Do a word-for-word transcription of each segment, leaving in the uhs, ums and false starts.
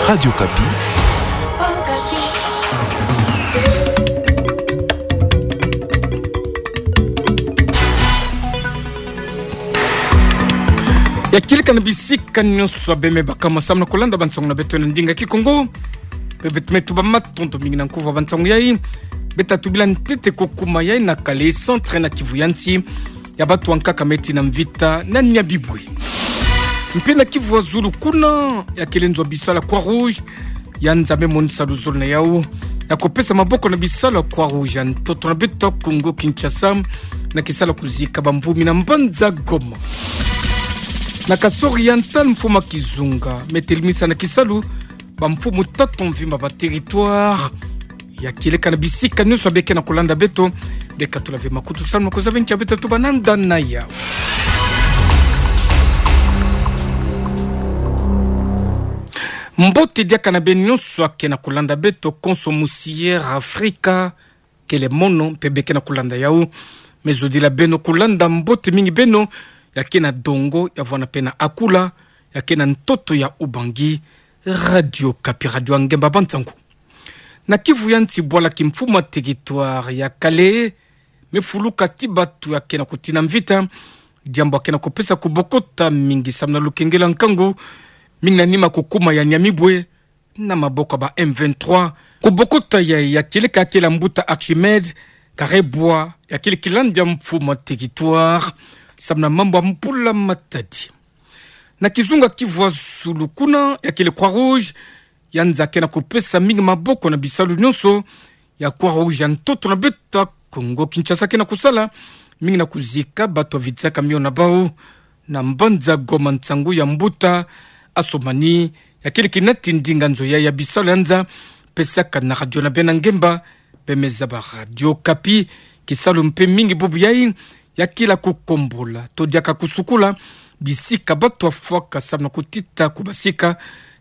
Radio Okapi. Ya kieleka na bisika nyonso beme baka masamu na kolanda bansangu na beto na ndinga Kikongo. Pe beto me tuba matondo mingi na nkufi ya bansangu yai. Beta tubila ntete ko kuma yai na Kale, centre na kivu ya nsi ya bato ya nkaka me tina mvita na Nyabibwe. Mpe na kivu ya zulu kuna, ya kele nzo ya bisalu ya Croix-Rouge ya nza me monisa luzolo na yau ya ko pesa maboko na bisalu ya Croix-Rouge ya ntoto na beto Kongo Kinshasa, na kisalu ya kuzika bamvumbi na mbanza Goma. Na Kasai Oriental, mfumu ya kizunga me telemisa na kisalu bamfumu tatu mvimba ba territoire. Ya kieleka na bisika nyonso beke na kolanda beto, beka tula ve makutu samu na kuzaba ntia beta tuba na nda na yau. Mbote diaka na beno nyonso ake na kolanda beto konso musi Air Afrika, kele mono mpe beke na kolanda yau. Me zodila beno kolanda, mbote mingi beno ya ke na Dongo, ya vwanda mpe na Akula, ya ke na ntoto ya Ubangi. Radio Okapi, radio ya ngemba bansangu. Na kivu ya nsi, bwala kimfumu ya territoire ya Kale me fuluka ti bato ya ke na kutina mvita, diambu ya ke na kupesa kubokota mingi samu na lukengelo ya nkangu mingi na nima kukuma ya Nyamibwe na maboko ya ba M vingt-trois. Kubokota yai ya kieleka kele mbuta Archimède Karebwa, ya kele kilandi ya mfumu ya territoire samu na mambu ya mbula matadi. Na kizunga kivu ya zulu kuna, ya kele Croix-Rouge ya nza ke na kupesa mingi maboko na bisalu nyonso ya Croix-Rouge ya ntoto na beto Kongo Kinshasa ke na kusala mingi na kuzika bato ya vitisaka mio na bau. Na mbanza Goma, nsangu ya mbuta Assoumani, ya kele kinati ndinga nzo ya, ya bisalu ya nza, pesaka na radio na beno na ngemba, beme zaba Radio Okapi. Kisalu mpe mingi bubu yai ya kele kukombola to diaka kusukula bisika bato ya fwaka samu na kutita kubasika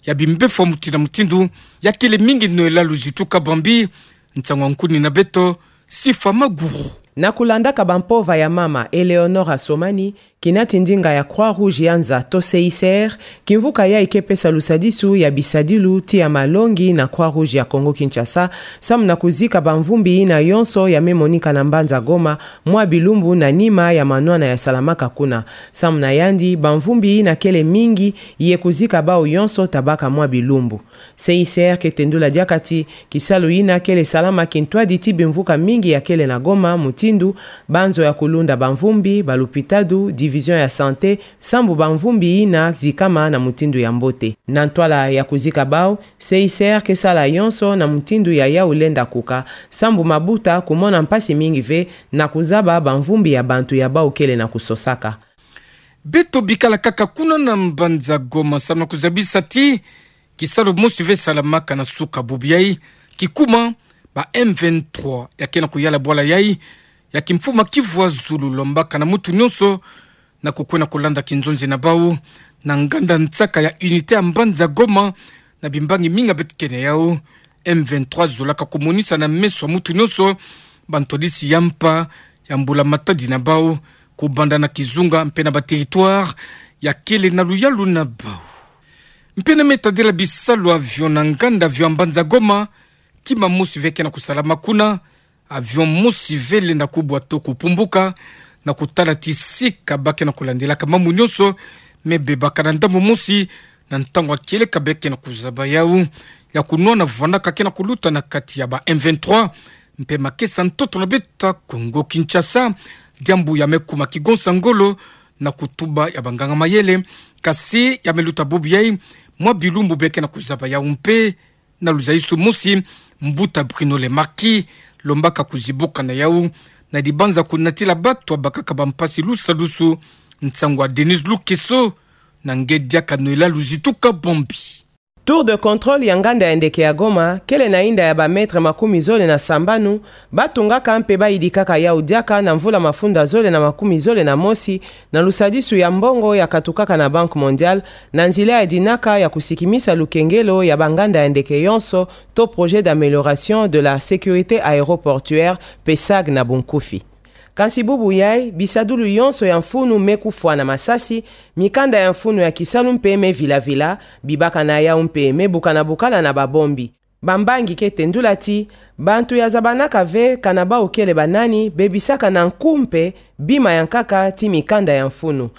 ya bimbevo ya mutindu na mutindu. Ya kele mingi noyela luzitu kabambi. Nsangu ya nkuni na beto, Sifa Maguru. Na kulandaka bampova ya mama Eleonore Assoumani, kinati ndinga ya Croix-Rouge ya nza to C I C R, kimvuka yai ke pesa lusadisu ya bisadilu ti ya malongi na Croix-Rouge ya Kongo Kinshasa, samu na kuzika bamvumbi yina yonso ya me monika na mbanza Goma mwa bilumbu na nima ya manwana ya salamaka kuna. Samu na yandi, bamvumbi yina kele mingi ye kuzika bau yonso tabaka mwa bilumbu. C I C R ke tendula diaka ti kisalu yina kele salama kintwadi ti bimvuka mingi ya kele na Goma, mutindu banzo ya kulunda bamvumbi, balupitadu, division ya santé, sambu bamvumbi yina zikama na mutindu ya mbote. Na ntwala ya kuzika bau, C I C R ke sala yonso na mutindu ya yau lenda kuka, sambu mabuta kumona mpasi mingi ve na kuzaba bamvumbi ya bantu ya bau kele na kusosaka. Beto bikala kaka kuna na mbanza Goma samu na kuzabisa ti kisalu mosi ve salamaka na suka bubu yai, kikuma ba M vingt-trois ya ke na kuyala bwala yai ya kimfumu ya kivu ya zulu, lombaka na mutu nyonso na kukwenda kulanda kinzonzi na bau na nganda nsaka ya unité ya mbanza Goma na bimbangi mingi beto ke na yau. M vingt-trois zolaka kumonisa na meso ya mutu nyonso bantwadisi ya mpa ya mbula matadi na bau, kubanda na kizunga mpe na ba territoire ya kele na luyalu na bau. Mpe na me tadila bisalu avion na nganda avion ya mbanza Goma, kima mosi ve ke na kusalama kuna. Avion mosi ve lenda kubwa to kupumbuka, na kutala ti sika ba ke na kulandilaka mambu nyonso me bebaka na ndambu mosi na ntangu ya kieleka beke na kuzaba yau ya kunwana vwandaka ke na kuluta na kati ya ba M vingt-trois mpe makesa ntoto na beto Kongo Kinshasa. Diambu ya me kuma kigonsa ngolo na kutuba ya banganga mayele, kasi ya me luta bubu yai mwa bilumbu beke na kuzaba yau mpe. Na luzaisu mosi, mbuta Bruno Le Marquis lombaka kuzibuka na yau na dibanza kunatila bato ya bakaka bampasi lusadusu, nsangu ya Denise Lukeso, na nge diaka noyela luzitu kabambi. Tour de contrôle ya nganda ya ndeke ya Goma kele na inda ya ba mètre makumi zole na sambanu ba tungaka mpe ba yidikaka yau diaka na mvula mafunda zole na makumi zole na mosi, na lusadisu ya mbongo ya katukaka na Banque Mondiale, na nzila ya dinaka ya kusikimisa lukengelo ya banganda ya ndeke yonso, to Projet d'amélioration de la sécurité aéroportuaire, PSAG na bunkufi. Kansi bubu yai, bisadulu yonso ya mfunu me kufwa na masasi, mikanda ya mfunu ya kisalu mpe me vilavila, bibaka na yau mpe me bukana-bukana na babombi. Bambangi ke tendula ti, bantu ya zabanaka ve kana bau kele banani, bebisaka na nku mpe bima ya nkaka ti mikanda ya mfunu.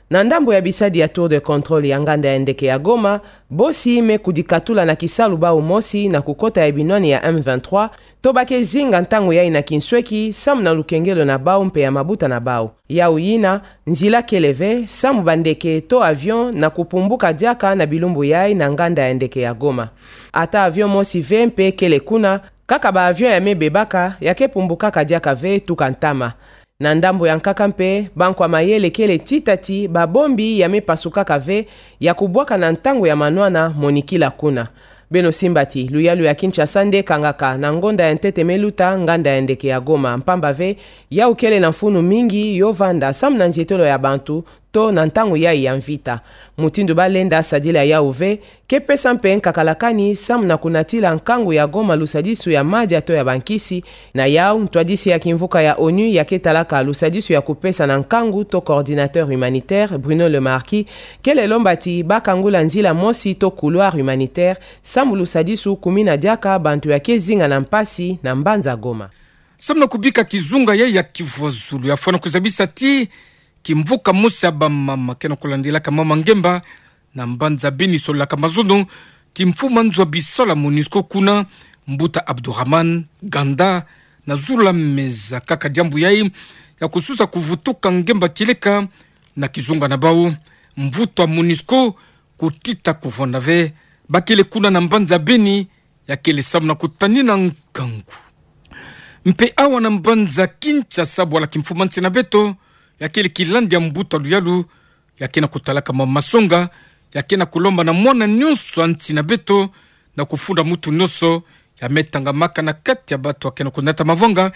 Na ndambu ya bisadi ya tour de contrôle ya nganda ya ndeke ya Goma, bosi me kudikatula na kisalu bau mosi na kukota ya binwani ya M vingt-trois, to ba ke zinga ntangu yai na kinsweki, samu na lukengelo na bau mpe ya mabuta na bau. Yau yina, nzila kele ve, samu bandeke to avion na kupumbuka diaka na bilumbu yai na nganda ya ndeke ya Goma. Ata avion mosi ve mpe kele kuna, kaka ba avion ya me bebaka, ya ke pumbukaka diaka ve tuka ntama. Na ndambu ya nkaka mpe, bankwa mayele kele tita ti, babombi ya me pasukaka ve, ya kubwaka na ntangu ya manwana monikila kuna. Beno simba ti, luyalu ya Kinshasa nde kangaka na ngonda ya ntete me luta nganda ya ndeke ya Goma, mpamba ve, yau kele na mfunu mingi yo vanda samu na nzietelo ya bantu, to na ntangu yai ya mvita. Mutindu balenda sadila yau ve, ke pesa mpe nkakala kani samu na kunatila nkangu ya Goma lusadisu ya madia to ya bankisi, na yau, ntwadisi ya kimvuka ya onu ya ke talaka lusadisu ya kupesa na nkangu to coordinateur humanitaire, Bruno Le Marquis, kele lomba ti ba kangula nzila mosi to couloir humanitaire, samu lusadisu kumina diaka bantu ya ke zinga na mpasi na mbanza Goma. Samu na kubika kizunga yai ya kivwa zulu ya fwana kuzabisa ti, kimvuka mosi ya bamama ke na kulandilaka mama ngemba, na mbanza Beni sololaka mazono, ti mfumu a nzo ya bisola MONUSCO kuna, mbuta Abdourahmane Ganda, na zula meza kaka diambu yai, ya kususa kuvutuka ngemba tieleka, na kizunga na bau, mvutu a MONUSCO, kutita kuvwanda ve, ba kele kuna na mbanza Beni, ya kele samu na kutanina nkangu. Mpe awa na mbanza Kinshasa bwala kimfumu a nsi na beto, ya kele kilandi ya mbuta luyalu, ya ke na kutalaka mama masonga, ya ke na kulomba na mwana nyonso a nsi na beto, na kufunda mutu nyonso, ya me tangamaka na kati ya bato ya ke na kunata mavanga,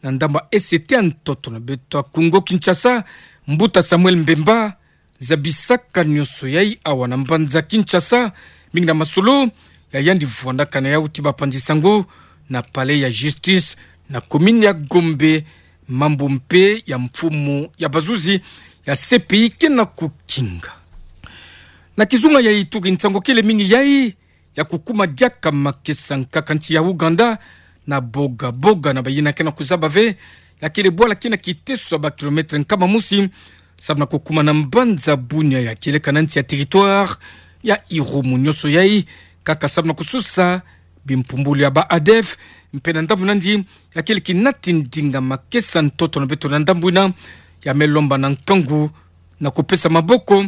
na ndambu ya E C T ya ntoto na beto ya Congo Kinshasa, mbuta Samuel Mbemba, zabisaka nyonso yai awa na mbanza Kinshasa, mingi na masolo ya yandi vwandaka na yau ti bapanzi sango na palais ya justice na commune ya Gombe, mambu mpe ya mfumu ya bazuzi ya C P I ke na kukinga. Na kizunga yai turi nsangu kele mingi yai, ya kukuma diaka makesa nkaka nsi ya Ouganda, na Boga Boga na bayina ke na kuzaba ve, ya kele bwala ke na kiteso ya ba kilomètre nkama mosi, samu na kukuma na mbanza Bunia ya kieleka na nsi ya territoire ya Irumu. Nyonso yai, kaka samu na kususa bimpumbulu ya ba ADF, mpe na ndambu nandi, ya kele kinati ndinga makesa ntoto na beto na ndambu yina, ya me lomba na nkangu, na kupesa maboko,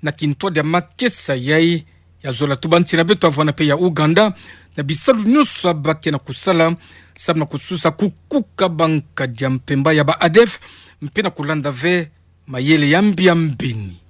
na kintwadi ya makesa yai, ya zola tuba nsi na beto ya vwanda mpe ya Ouganda, na bisalu nyonso ya ba ke na kusala, samu na kususa kukuka bankadi ya mpemba ya ba ADF, mpe na kulanda ve mayele ya mbi ya mbeni.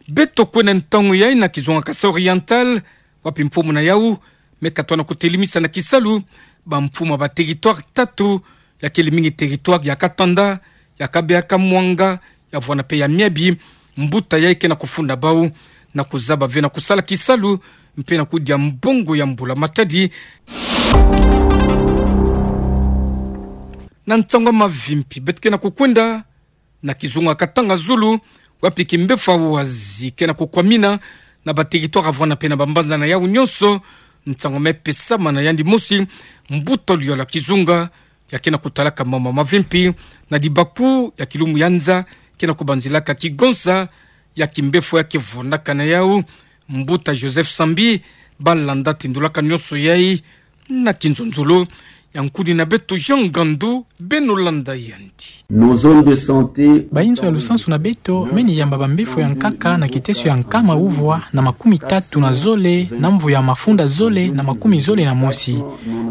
Beto kwenda ntangu yai na kizunga Kasaï Oriental, wapi mfumu na yau me katwa na kutelimisa na kisalu bamfumu ya ba territoire tatu, ya kele mingi territoire ya Katanda, ya Kabeya Kamwanga, ya vwanda mpe ya Miabi, mbuta yai ke na kufunda bau na kuzaba ve na kusala kisalu, mpe na kudia mbongo ya mbula matadi. Na nsangu ya mavimpi, beto ke na kukwenda na kizunga Katanga Zulu, wapi kimbefo ya Oise ke na kukwamina na ba territoire ya vwanda mpe na bambanza na yau nyonso. Nsangu me pesama na yandi mosi, mbuta luyala kizunga, ya ke na kutalaka mambu ya mavimpi na dibaku ya kilumbu ya nza, ke na kubanzilaka kigonsa ya kimbefo ya ke vwandaka na yau, mbuta Joseph Sambi, balanda tindulaka nyonso yai na kinzonzolo. Ya nkuni na beto Jean Ngandu, beno landa yandi. Nos zones de santé. Bainzo ya lusansu na beto meni yamba bambefo ya nkaka na kiteso ya nkama uvwa na makumi tatu na zole na mvu ya mafunda zole na makumi zole na mosi.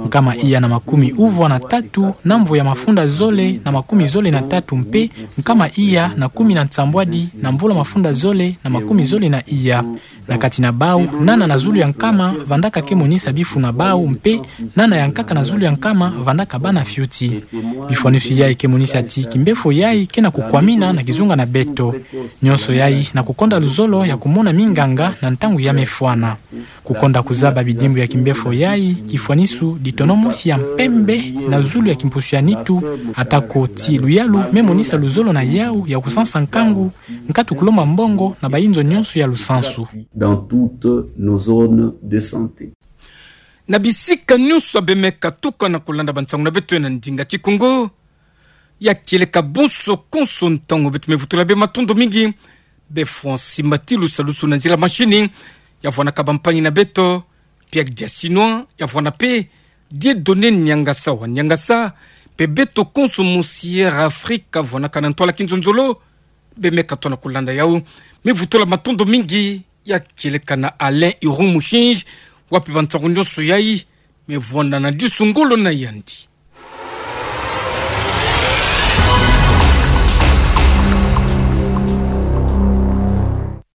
Nkama iya na makumi uvwa na tatu na mvu ya mafunda zole na makumi zole na tatu mpe nkama iya na kumi na nsambwadi na mvula mafunda zole na makumi zole na iya. Na kati na bau, nana na zulu ya nkama vandaka ke monisa bifu na bau mpe nana ya nkaka na zulu ya nkama vandaka bana fioti. Bifwanisu yai ke monisa ti kimbefo yai ke na kukwamina na kizunga na beto. Nyonso yai na kukonda luzolo ya kumona minganga na ntangu ya mefwana. Kukonda kuzaba bidimbu ya kimbefo yai, kifwanisu ditono mosi ya mpembe na zulu ya kimpusu ya nitu, atako ti luyalu me monisa luzolo na yau ya kusansa nkangu, nkatu kulomba mbongo na bayinzo nyonso ya lusansu. Dans toutes nos zones de santé. Na bisika nyonso bemeka tuka na kulanda bansangu na beto na ndinga Kikongo, ya kieleka bonso konso ntangu beto me vutula bê matondo mingi. Bê Francis Matilu, salusu na nzila mashini, ya vwanaka bampangi na beto, Pierre Diasinois, ya vwana pe Dieudonné Niangasa wa Niangasa, pe beto konso mu Sierra Africa, vwanaka na ntwala kinzonzolo, bemeka tona kulanda yau. Me vutula matondo mingi, ya kieleka na Alain Iron Mushinji, wapi bansangu nyonso yai, me vwanda na disu ngolo na yandi.